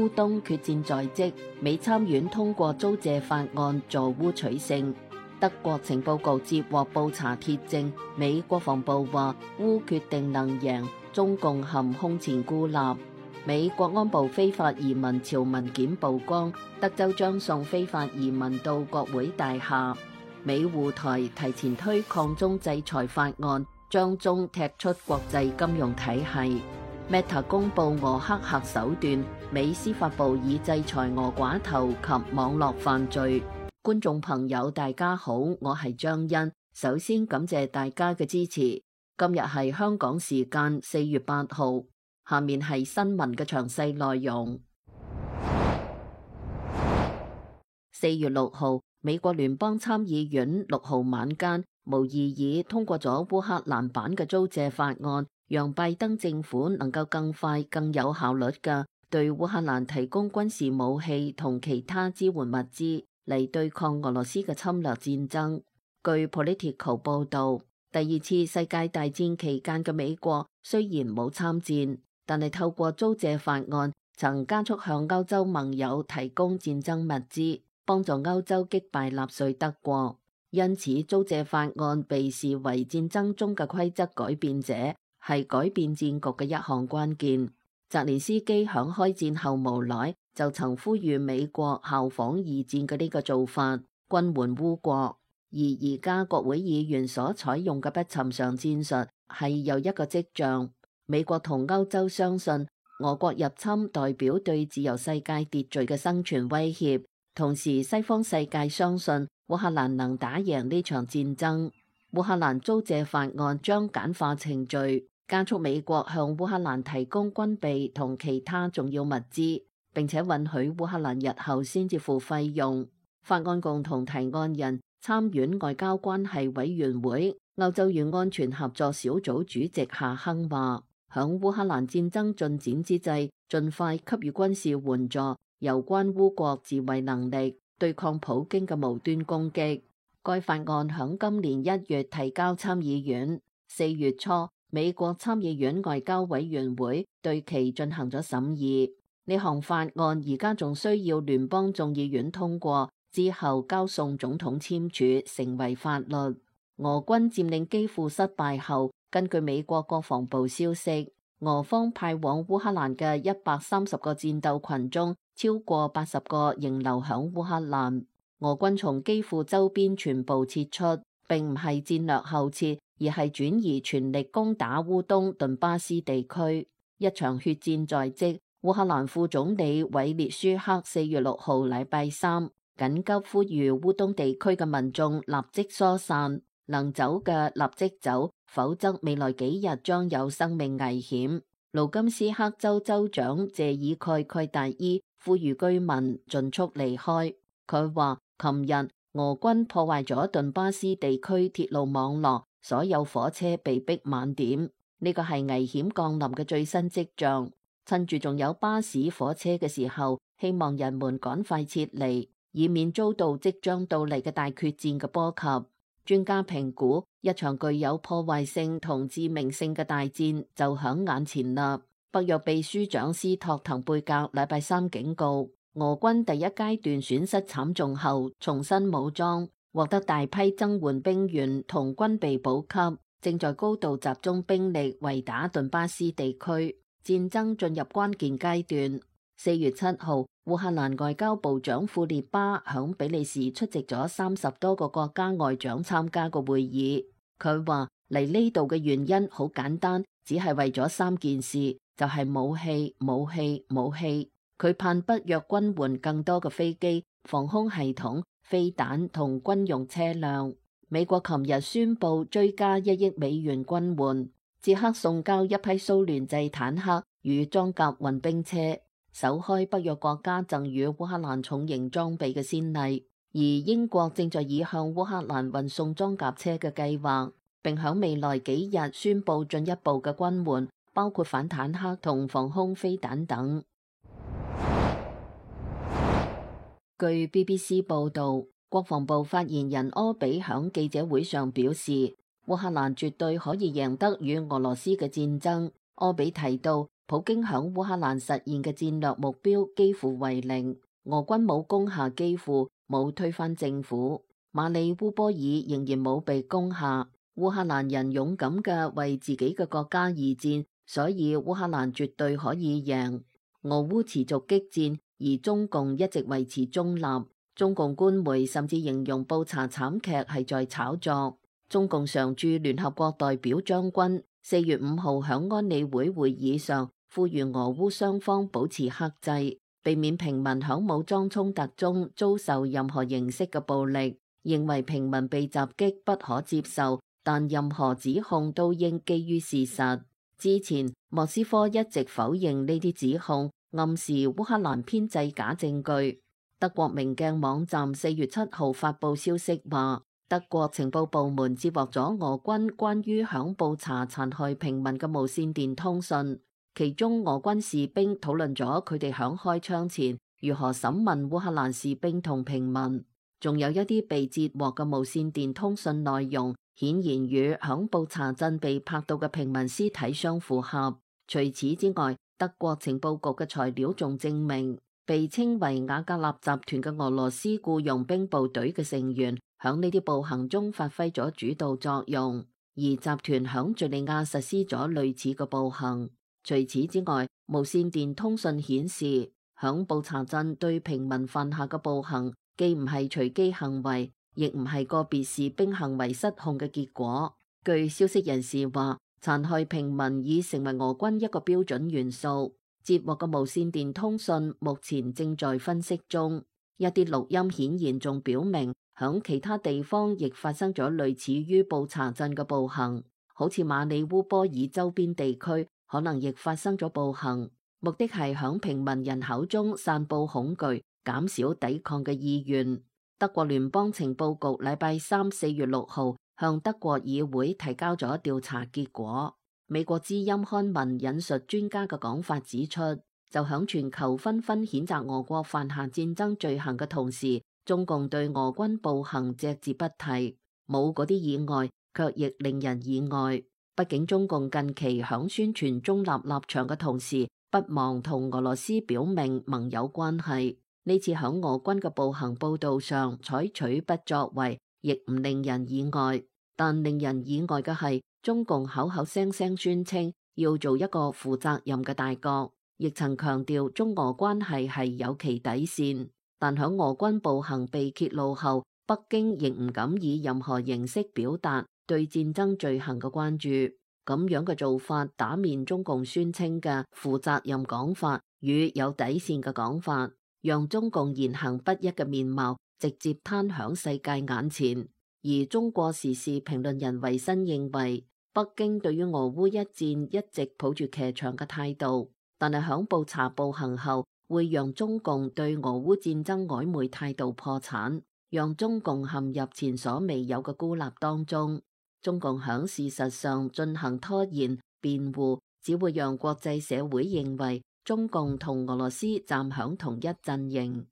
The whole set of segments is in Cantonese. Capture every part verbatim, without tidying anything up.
烏東決戰在即，美參院通過租借法案助烏取勝。德國情報局接獲布查鐵證，美國防部話烏決定能贏，中共陷空前孤立。美國安部非法移民潮文件曝光，德州將送非法移民到國會大廈。美護台提前推抗中制裁法案，將中踢出國際金融體系。Meta 公布俄黑客手段，美司法部已制裁俄寡頭及網絡犯罪。觀眾朋友大家好，我係張欣，首先感謝大家嘅支持。今日係香港時間四月八號，下面係新聞嘅詳細內容。四月六號，美國聯邦參議院六號晚間無異議通過咗烏克蘭版嘅租借法案，讓拜登政府能夠更快、更有效率嘅對烏克蘭提供軍事武器同其他支援物資，嚟對抗俄羅斯嘅侵略戰爭。據 Politico 報導，第二次世界大戰期間嘅美國雖然冇參戰，但係透過租借法案，曾加速向歐洲盟友提供戰爭物資，幫助歐洲擊敗納粹德國。因此，租借法案被視為戰爭中嘅規則改變者，係改變戰局嘅一項關鍵。澤連斯基響開戰後無奈，就曾呼籲美國效仿二戰嘅呢個做法，軍援烏國。而而家國會議員所採用嘅不尋常戰術係有一個跡象：美國同歐洲相信俄國入侵代表對自由世界秩序嘅生存威脅，同時西方世界相信烏克蘭能打贏呢場戰爭。烏克蘭租借法案將簡化程序，加速美國向烏克蘭提供軍備同其他重要物資，並且允許烏克蘭日後先至付費用。法案共同提案人參院外交關係委員會歐洲與安全合作小組主席夏亨話，響烏克蘭戰爭進展之際，盡快給予軍事援助，有關烏國自衛能力，對抗普京嘅無端攻擊。該法案響今年一月提交參議院，四月初美國參議院外交委員會對其進行咗審議。呢項法案而家仲需要聯邦眾議院通過，之後交送總統簽署，成為法律。俄軍佔領基輔失敗後，根據美國國防部消息，俄方派往烏克蘭嘅一百三十個戰鬥群中，超過八十個仍留響烏克蘭。俄軍從基輔周邊全部撤出，並唔係戰略後撤，而係轉移全力攻打烏東頓巴斯地區。一場血戰在即。烏克蘭副總理韋列舒克四月六號禮拜三緊急呼籲烏東地區嘅民眾立即疏散，能走嘅立即走，否則未來幾日將有生命危險。盧甘斯克州州長謝爾蓋蓋達伊呼籲居民盡速離開。佢話，琴日俄軍破壞咗頓巴斯地區鐵路網絡，所有火車被逼晚點，呢個係危險降臨嘅最新跡象。趁住仲有巴士、火車嘅時候，希望人們趕快撤離，以免遭到即將到嚟嘅大決戰嘅波及。專家評估，一場具有破壞性同致命性嘅大戰就響眼前啦。北約秘書長斯托滕貝格禮拜三警告，俄軍第一階段損失慘重後，重新武裝，獲得大批增援兵員同軍備補給，正在高度集中兵力圍打頓巴斯地區。戰爭進入關鍵階段。四月七號，烏克蘭外交部長庫列巴響比利時出席咗三十多個國家外長參加個會議。佢話嚟呢度嘅原因好簡單，只係為咗三件事，就係、是、武器、武器、武器。佢盼北約軍援更多嘅飛機、防空系統、飛彈同軍用車輛。美國琴日宣布追加一億美元軍援。捷克送交一批蘇聯製坦克與裝甲運兵車，首開北約國家贈予烏克蘭重型裝備嘅先例。而英國正在以向烏克蘭運送裝甲車嘅計劃，並響未來幾日宣布進一步嘅軍援，包括反坦克同防空飛彈等。據 B B C 報道，國防部發言人柯比響記者會上表示，烏克蘭絕對可以贏得與俄羅斯嘅戰爭。柯比提到，普京響烏克蘭實現嘅戰略目標幾乎為零，俄軍冇攻下基輔，冇推翻政府，馬里烏波爾仍然冇被攻下。烏克蘭人勇敢嘅為自己嘅國家而戰，所以烏克蘭絕對可以贏。俄烏持續激戰，而中共一直維持中立。中共官媒甚至形容布查慘劇係在炒作。中共常駐聯合國代表張軍四月五號響安理會會議上呼籲俄烏雙方保持克制，避免平民響武裝衝突中遭受任何形式嘅暴力，認為平民被襲擊不可接受，但任何指控都應基於事實。之前莫斯科一直否認呢啲指控，暗示烏克蘭編製假證據。德國明鏡網站四月七號發布消息話，德國情報部門接獲咗俄軍關於響布查殘害平民嘅無線電通訊，其中俄軍士兵討論咗佢哋響開槍前如何審問烏克蘭士兵同平民，仲有一啲被截獲嘅無線電通訊內容顯然與響布查鎮被拍到嘅平民屍體相符合。除此之外，德國情報局嘅材料仲證明，被稱為瓦格納集團嘅俄羅斯僱傭兵部隊嘅成員響呢啲暴行中發揮咗主導作用，而集團響敘利亞實施咗類似嘅暴行。除此之外，無線電通訊顯示，響布查鎮對平民犯下嘅暴行，既唔係隨機行為，亦唔係個別士兵行為失控嘅結果。據消息人士話，殘害平民已成為俄軍一個標準元素。接獲嘅無線電通訊目前正在分析中，一啲錄音顯然仲表明響其他地方亦發生咗類似於布查鎮嘅暴行，好似馬里烏波爾周邊地區可能亦發生咗暴行，目的係響平民人口中散布恐懼，減少抵抗嘅意願。德國聯邦情報局禮拜三四月六號向德國議會提交咗調查結果。美國之音刊文引述專家嘅講法指出，就響全球紛紛譴責俄國犯下戰爭罪行嘅同時，中共對俄軍暴行隻字不提，冇嗰啲意外，卻亦令人意外。畢竟中共近期響宣傳中立立場嘅同時，不忘同俄羅斯表明盟友關係。呢次響俄軍嘅暴行報道上採取不作為，亦唔令人意外。但令人意外嘅係，中共口口聲聲宣稱要做一個負責任嘅大國，亦曾強調中俄關係係有其底線。但響俄軍暴行被揭露後，北京亦唔敢以任何形式表達對戰爭罪行嘅關注。咁樣嘅做法打面中共宣稱嘅負責任講法與有底線嘅講法，讓中共言行不一嘅面貌直接攤響世界眼前。而中國時事評論人維新認為，北京對於俄烏一戰一直抱住騎牆嘅態度，但係響布查暴行後，會讓中共對俄烏戰爭曖昧態度破產，讓中共陷入前所未有嘅孤立當中。中共響事實上進行拖延辯護，只會讓國際社會認為中共同俄羅斯站響同一陣營。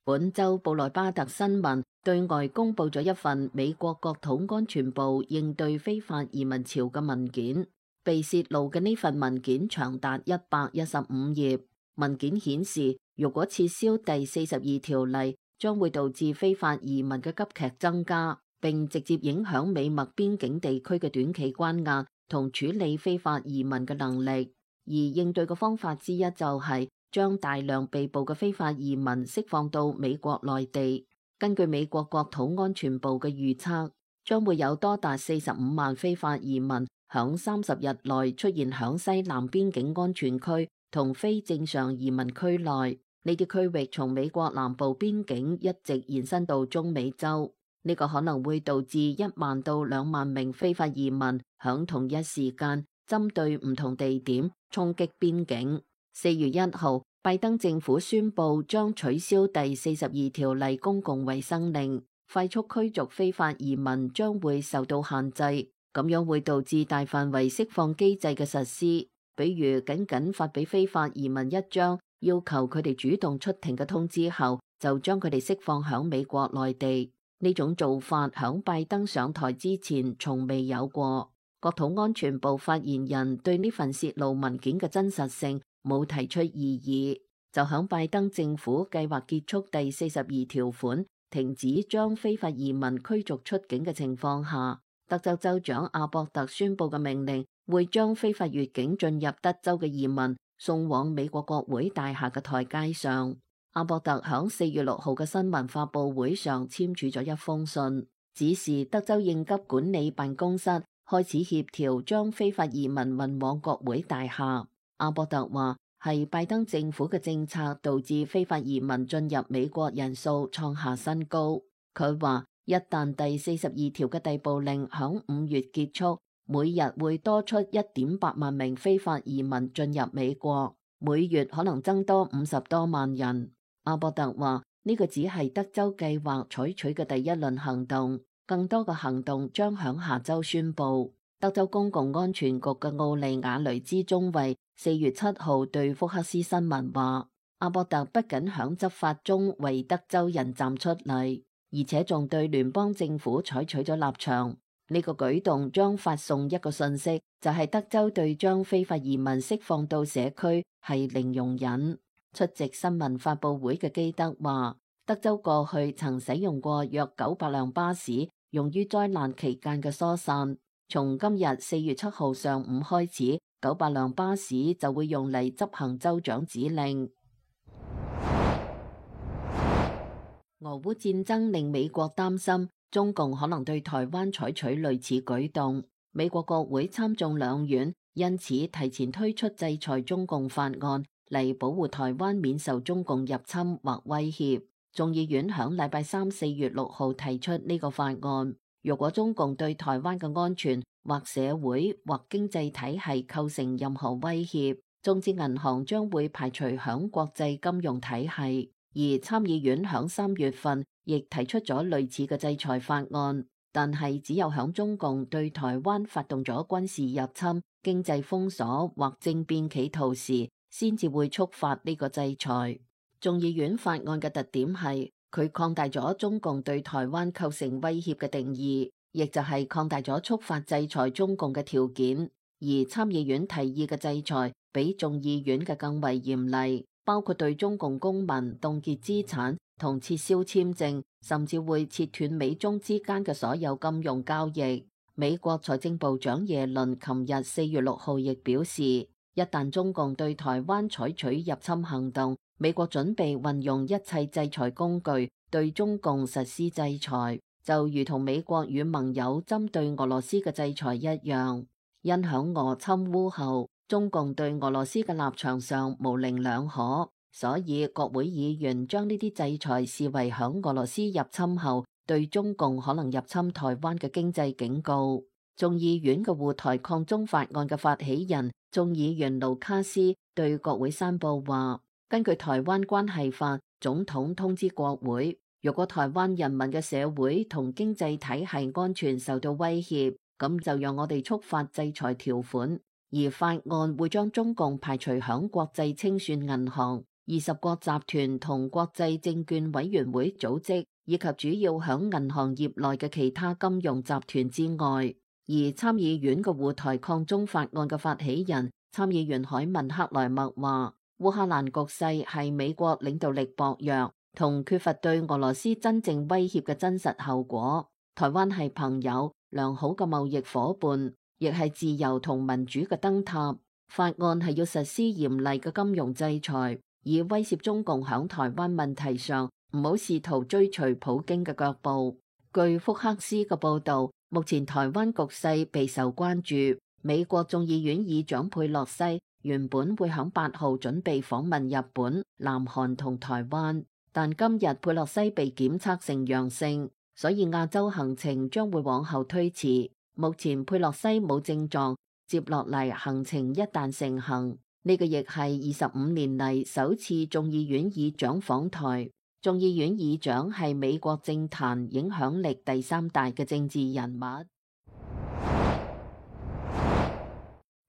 本周布萊巴特新聞對外公布咗一份美國國土安全部應對非法移民潮嘅文件。被洩露嘅呢份文件長達一百一十五頁。文件顯示，如果撤銷第四十二條例，將會導致非法移民嘅急劇增加，並直接影響美墨邊境地區嘅短期關押同處理非法移民嘅能力。而應對嘅方法之一就係將大量被捕嘅非法移民釋放到美國內地。根據美國國土安全部嘅預測，將會有多達四十五萬非法移民響三十日內出現響西南邊境安全區同非正常移民區內。呢啲區域從美國南部邊境一直延伸到中美洲。呢個可能會導致一萬到兩萬名非法移民響同一時間針對唔同地點衝擊邊境。四月一號，拜登政府宣布將取消第四十二條例公共衛生令，快速驅逐非法移民將會受到限制，咁樣會導致大範圍釋放機制嘅實施，比如僅僅發俾非法移民一張要求佢哋主動出庭嘅通知後，就將佢哋釋放響美國內地。呢種做法響拜登上台之前從未有過。國土安全部發言人對呢份泄露文件嘅真實性冇提出異議，就響拜登政府計劃結束第四十二條款，停止將非法移民驅逐出境嘅情況下，德州州長阿博特宣布嘅命令會將非法越境進入德州嘅移民送往美國國會大廈嘅台階上。阿博特響四月六號嘅新聞發佈會上簽署咗一封信，指示德州應急管理辦公室開始協調將非法移民運往國會大廈。阿博特話係拜登政府嘅政策導致非法移民進入美國人數創下新高。佢話一旦第四十二條嘅逮捕令響五月結束，每日會多出一點八萬名非法移民進入美國，每月可能增多五十多萬人。阿博特話呢個只係德州計劃採取嘅第一輪行動，更多嘅行動將響下周宣布。德州公共安全局嘅奧利瓦雷茲中尉四月七號對福克斯新聞話，阿博特不僅響執法中為德州人站出嚟，而且仲對聯邦政府採取咗立場。呢個舉動將發送一個信息，就係德州對將非法移民釋放到社區係零容忍。出席新聞發佈會嘅基德話，德州過去曾使用過約九百輛巴士，用於災難期間嘅疏散。從今日四月七號上午開始，九百輛巴士就會用嚟執行州長指令。俄烏戰爭令美國擔心中共可能對台灣採取類似舉動。美國國會參眾兩院因此提前推出制裁中共法案，嚟保護台灣免受中共入侵或威脅。眾議院響禮拜三四月六號提出呢個法案，如果中共對台灣嘅安全或社會或經濟體系構成任何威脅，中資銀行將會排除響國際金融體系。而參議院響三月份亦提出咗類似嘅制裁法案，但係只有響中共對台灣發動咗軍事入侵、經濟封鎖或政變企圖時，先至會觸發呢個制裁。眾議院法案嘅特點係佢擴大咗中共對台灣構成威脅嘅定義，亦就係擴大咗觸發制裁中共嘅條件。而參議院提議嘅制裁比眾議院嘅更為嚴厲，包括對中共公民凍結資產同撤銷簽證，甚至會切斷美中之間嘅所有金融交易。美國財政部長耶倫琴日四月六號亦表示，一旦中共對台灣採取入侵行動，美國準備運用一切制裁工具對中共實施制裁，就如同美國與盟友針對俄羅斯嘅制裁一樣。因響俄侵烏後，中共對俄羅斯嘅立場上模棱兩可，所以國會議員將呢啲制裁視為響俄羅斯入侵後對中共可能入侵台灣嘅經濟警告。眾議院嘅護台抗中法案嘅發起人眾議員盧卡斯對國會山報話，根據台灣關係法，總統通知國會，如果台灣人民嘅社會同經濟體系安全受到威脅，咁就讓我哋觸發制裁條款。而法案會將中共排除響國際清算銀行、二十國集團同國際證券委員會組織以及主要響銀行業內嘅其他金融集團之外。而參議院嘅護台抗中法案嘅發起人參議員海文克萊默話，烏克蘭局勢係美國領導力薄弱同缺乏對俄羅斯真正威脅嘅真實後果。台灣係朋友、良好嘅貿易夥伴，亦係自由同民主嘅燈塔。法案係要實施嚴厲嘅金融制裁，以威懾中共響台灣問題上唔好試圖追隨普京嘅腳步。據福克斯嘅報道，目前台灣局勢備受關注。美國眾議院議長佩洛西原本會響八號準備訪問日本、南韓同台灣，但今日佩洛西被檢測成陽性，所以亞洲行程將會往後推遲。目前佩洛西冇症狀，接落嚟行程一旦成行，呢個亦係二十五年嚟首次眾議院議長訪台。眾議院議長係美國政壇影響力第三大嘅政治人物。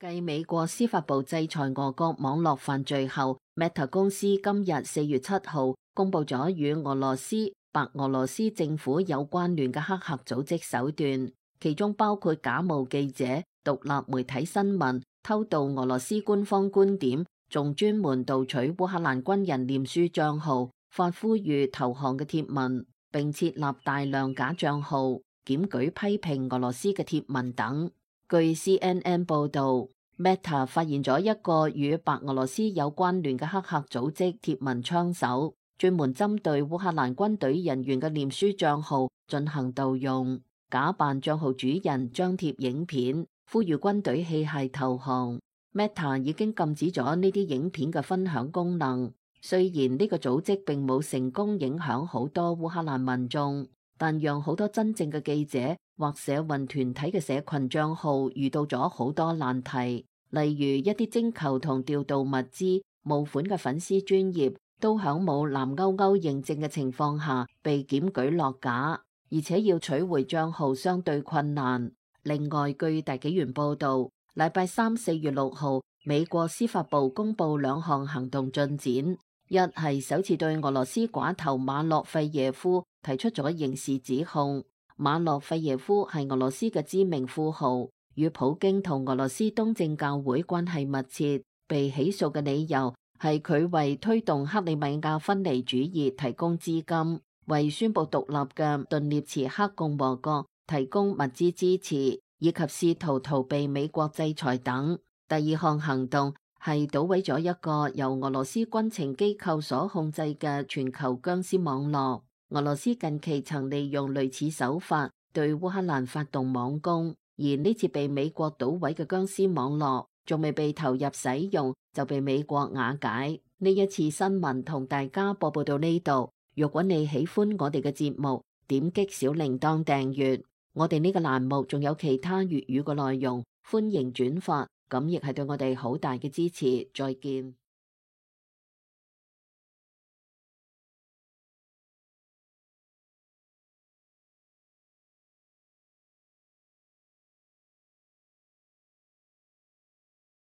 繼美國司法部制裁俄國網絡犯罪後， Meta 公司今日四月七號公布咗與俄羅斯、白俄羅斯政府有關聯嘅黑客組織手段，其中包括假冒記者、獨立媒體新聞偷盜俄羅斯官方觀點，仲專門盜取烏克蘭軍人臉書賬號，發呼籲投降嘅貼文，並設立大量假賬號，檢舉批評俄羅斯嘅貼文等。據 C N N 報導，Meta 發現咗一個與白俄羅斯有關聯嘅黑客組織貼文槍手，專門針對烏克蘭軍隊人員嘅臉書賬號進行盜用，假扮賬號主人張貼影片，呼籲軍隊棄械投降。Meta 已經禁止咗呢啲影片嘅分享功能。雖然呢個組織並冇成功影響好多烏克蘭民眾，但讓好多真正嘅記者或社運團體嘅社群賬號遇到咗好多難題。例如一啲徵求同調度物資募款嘅粉絲專頁，都響冇藍勾勾認證嘅情況下被檢舉落架，而且要取回賬號相對困難。另外，據大紀元報導，禮拜三四月六號，美國司法部公布兩項行動進展，一係首次對俄羅斯寡頭馬洛費耶夫提出咗刑事指控。馬洛費耶夫係俄羅斯嘅知名富豪，與普京同俄羅斯東正教會關係密切。被起訴嘅理由係佢為推動克里米亞分離主義提供資金，為宣布獨立嘅頓涅茨克共和國提供物資支持，以及試圖逃避美國制裁等。第二項行動係搗毀咗一個由俄羅斯軍情機構所控制嘅全球僵屍網絡。俄羅斯近期曾利用類似手法對烏克蘭發動網攻，而呢次被美國搗毀嘅僵屍網絡仲未被投入使用就被美國瓦解。呢一次新聞同大家播報到呢度。如果你喜歡我哋嘅節目，點擊小鈴鐺訂閱。我哋呢個欄目仲有其他粵語嘅內容，歡迎轉發，咁亦係對我哋好大嘅支持。再見。